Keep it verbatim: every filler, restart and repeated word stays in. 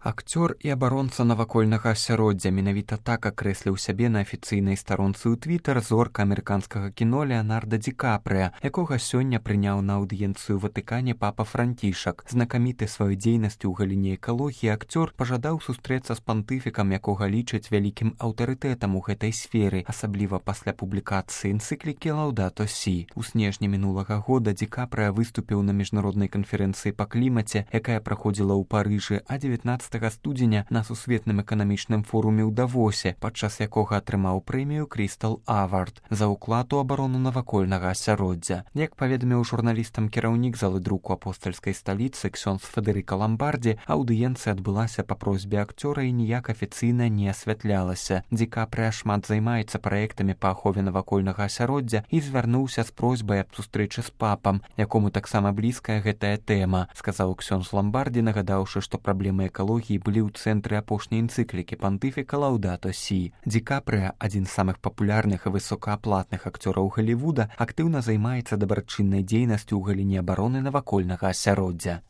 Акцёр і абаронца навакольнага асяроддзя менавіта так акрэсліў сябе на афіцыйнай старонцы ў твітар зорка амерыканскага кіно Леанарда Ді Капрыя, якога сёння прыняў на аўдыенцыю ў Ватыкане папа Францішак. Знакаміты сваёй дзейнасцю ў галіне экалогіі акцёр пажадаў сустрэцца з пантыфікам, якога лічаць вялікім аўтарытэтам у гэтай сферы, асабліва пасля публікацыі энцыклікі Лаўдато Сі. У снежні мінулага года Ді Капрыя выступіў на міжнароднай канферэнцыі па клімаце, якая праходзіла ў Парыжы, а дзевятнаццатага студзеня на сусветным эканамічным форуме ў Давосе, падчас якога атрымаў прэмію Крыстал Авард за ўклад у абарону навакольнага асяроддзя. Як паведаміў журналістам кіраўнік залы друку апостальскай сталіцы ксёндз Федэрыка Ламбардзі, аўдыенцыя адбылася па просьбе акцёра і ніяк афіцыйна не асвятлялася. Ді Капрыя шмат займаецца праектамі па ахове навакольнага асяроддзя і звярнуўся з просьбай аб сустрэчы з папам, якому таксама блізкая гэтая тэма, сказаў ксёндз Ламбардзі, нагадаўшы, што праблемы экалогіі былі ў цэнтры апошняй энцыклікі пантыфіка Лаўдато Сі. Ді Капрыя, адзін з самых папулярных і высокааплатных акцёраў Галівуда, актыўна займаецца дабрачыннай дзейнасцю ў галіне абароны навакольнага асяроддзя.